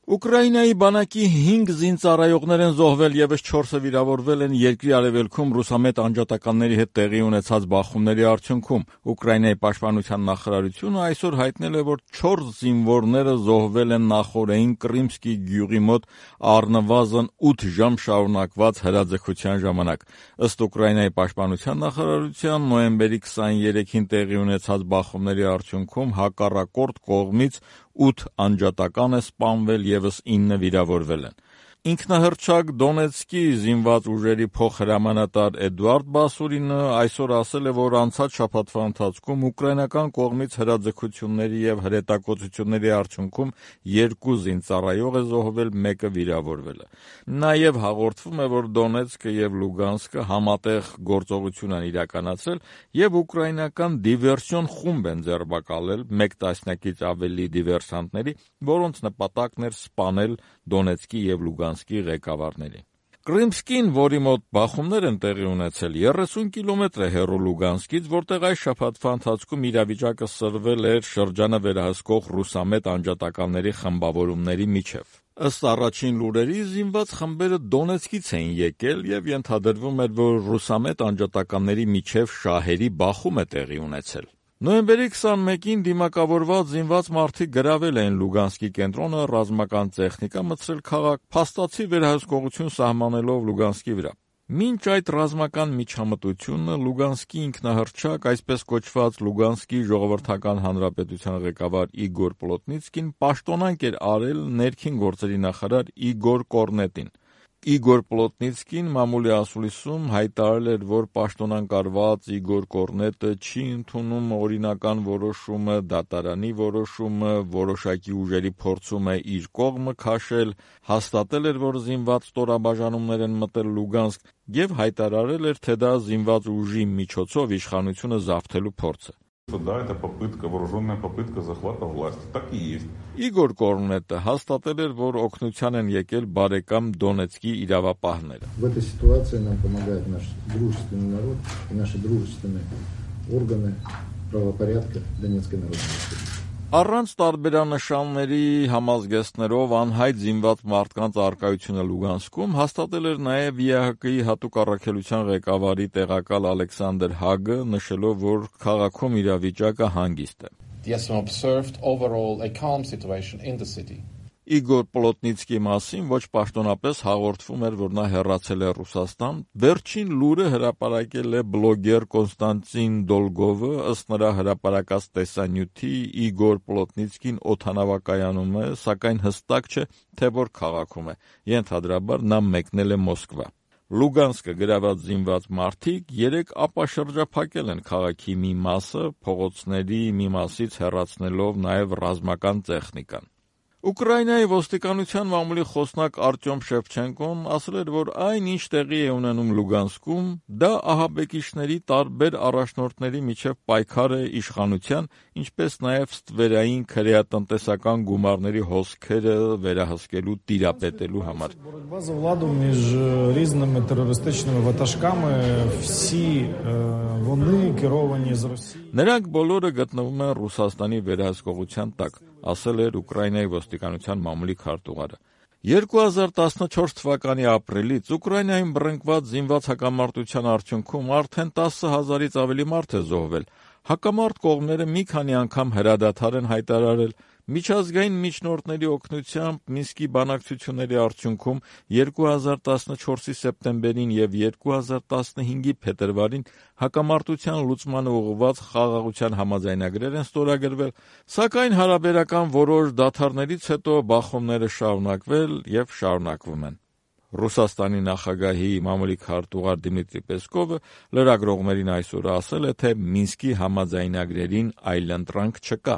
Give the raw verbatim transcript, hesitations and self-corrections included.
Ուկրաինայի բանակի հինգ զինծառայողներ են զոհվել, ևս չորսը վիրավորվել են երկրի արևելքում ռուսամետ անջատականների հետ տեղի ունեցած բախումների արդյունքում։ Ուկրաինայի պաշտպանության նախարարությունը այսօր հայտնել է, որ չորս զինվորները զոհվել են նախօրեին Կրիմսկի գյուղի մոտ առնվազն ութ ժամ շարունակված հրաձգության ժամանակ։ Ըստ Ուկրաինայի պաշտպանության նախարարության, նոյեմբերի քսաներեքին տեղի ունեցած բախումների արդյունքում հակառակորդ կողմից ութ անջատական է սպանվել, ևս ինը վիրավորվել են։ Ինքնահռչակ Դոնեցկի զինված ուժերի փոխհրամանատար Էդուարդ Բասուրինը այսօր ասել է, որ անցած շաբաթվա ընթացքում ուկրաինական կողմից հրաձգությունների եւ հրետակոծությունների արդյունքում երկու զինծառայող է զոհվել, մեկը վիրավորվել է։ Նաեւ հաղորդվում է, որ Դոնեցկը եւ Լուգանսկը համատեղ գործողություն են իրականացրել եւ ուկրաինական դիվերսիոն խումբ են ձերբակալել մեկ տասնյակից ավելի դիվերսանտների, որոնց նպատակն էր սպանել Դոնեցկի եւ Լուգանսկի ղեկավարներին։ Կրիմսկին, որի մոտ բախումներ են տեղի ունեցել, երեսուն կիլոմետր է հեռու Լուգանսկից, որտեղ այս շաբաթվա ընթացքում իրավիճակը սրվել էր շրջանը վերահսկող ռուսամետ անջատականների խմբավորումների միջև։ Ըստ առաջին լուրերի, զինված խմբերը Դոնեցկից էին եկել եւ ենթադրվում էր, որ ռուսամետ անջատականների միջև շահերի բախում է տեղի ունեցել։ Նոյեմբերի քսանմեկին դիմակավորված զինված մարդիկ գրավել էին Լուգանսկի կենտրոնը, ռազմական տեխնիկա մտցրել քաղաք, փաստացի վերահսկողություն սահմանելով Լուգանսկի վրա։ Մինչ այդ ռազմական միջամտությունը Լուգանսկի ինքնահռչակ, այսպես կոչված Լուգանսկի ժողովրդական հանրապետության ղեկավար Իգոր Պլոտնիցկին պաշտոնանկ էր արել ներքին գործերի նախարար Իգոր Կորնետին։ Իգոր Պլոտնիցկին մամուլի ասուլիսում հայտարարել էր, որ պաշտոնանկ արված Իգոր Կորնետը չի ընդունում օրինական որոշումը, դատարանի որոշումը, որոշակի ուժերի փորձում է իր կողմը քաշել, հաստատել էր, որ զինված ստորաբաժանումներ են մտել Լուգանսկ եւ հայտարարել էր, թե դա զինված ուժի միջոցով իշխանությունը զավթելու փորձ է։ Да, это попытка, вооруженная попытка захвата власти. Так и есть. Իգոր Կորնետը հաստատել էր, որ օգնության են եկել բարեկամ Դոնեցկի իրավապահները։ В этой ситуации нам помогает наш дружественный народ и наши дружественные органы правопорядка Донецкой Народной Республики. Առանց տարբերանշանների համազգեստներով անհայտ զինված մարդկանց առկայությունը Լուգանսկում հաստատել էր նաև ԵԱՀԿ-ի հատուկ առաքելության ղեկավարի տեղակալ Ալեքսանդր Հագը, նշելով, որ քաղաքում իրավիճակը հանգիստ է։ The S M observed overall a calm situation in the city. Իգոր Պլոտնիցկի մասին ոչ պաշտոնապես հաղորդվում էր, որ նա հեռացել է Ռուսաստան։ Վերջին լուրը հրապարակել է բլոգեր Կոնստանտին Դոլգովը, ըստ նրա հրապարակած տեսանյութի Իգոր Պլոտնիցկին օդանավակայանում է, սակայն հստակ չէ, թե որ քաղաքում է։ Ենթադրաբար նա մեկնել է Մոսկվա։ Լուգանսկը գրաված զինված մարդիկ երեք ապաշրջափակել են քաղաքի մի մասը, փողոցների մի մասից հեռացնելով նաև ռազմական տեխնիկան։ Ուկրաինայի ոստիկանության մամուլի խոսնակ Արտյոմ Շևչենկոն ասել էր, որ այն, ինչ տեղի է ունենում Լուգանսկում, դա ահաբեկիչների տարբեր առաջնորդների միջև պայքար է իշխանության, ինչպես նաև ստվերային քրեատնտեսական գումարների հոսքերը վերահսկելու, տիրապետելու համար։ Боротьба за владу між різними терористичними ватажками, всі вони керовані з Росії. Նրանք բոլորը գտնվում են Ռուսաստանի վերահսկողության տակ, ասել էր Ուկրաինայի ոստիկանության մամուլի քարտուղարը։ երկու հազար տասնչորս թվականի ապրիլից Ուկրաինայում բռնկված զինված հակամարտության արդյունքում արդեն տասը հազարից ավելի մարդ է զոհվել։ Հակամարտ կողմերը մի քանի անգամ հրադադար են հայտարարել։ Միջազգային միջնորդների օգնությամբ Մինսկի բանակցությունների արդյունքում երկու հազար տասնչորսի սեպտեմբերին եւ երկու հազար տասնհինգի փետրվարին հակամարտության լուծմանը ուղղված խաղաղության համաձայնագրեր են ստորագրվել, սակայն հարաբերական որոշ դադարներից հետո բախումները շարունակվել եւ շարունակվում են։ Ռուսաստանի նախագահի մամուլի քարտուղար Դիմիտրի Պեսկովը լրագրողներին այսօր ասել է, թե Մինսկի համաձայնագրերին այլընտրանք չկա։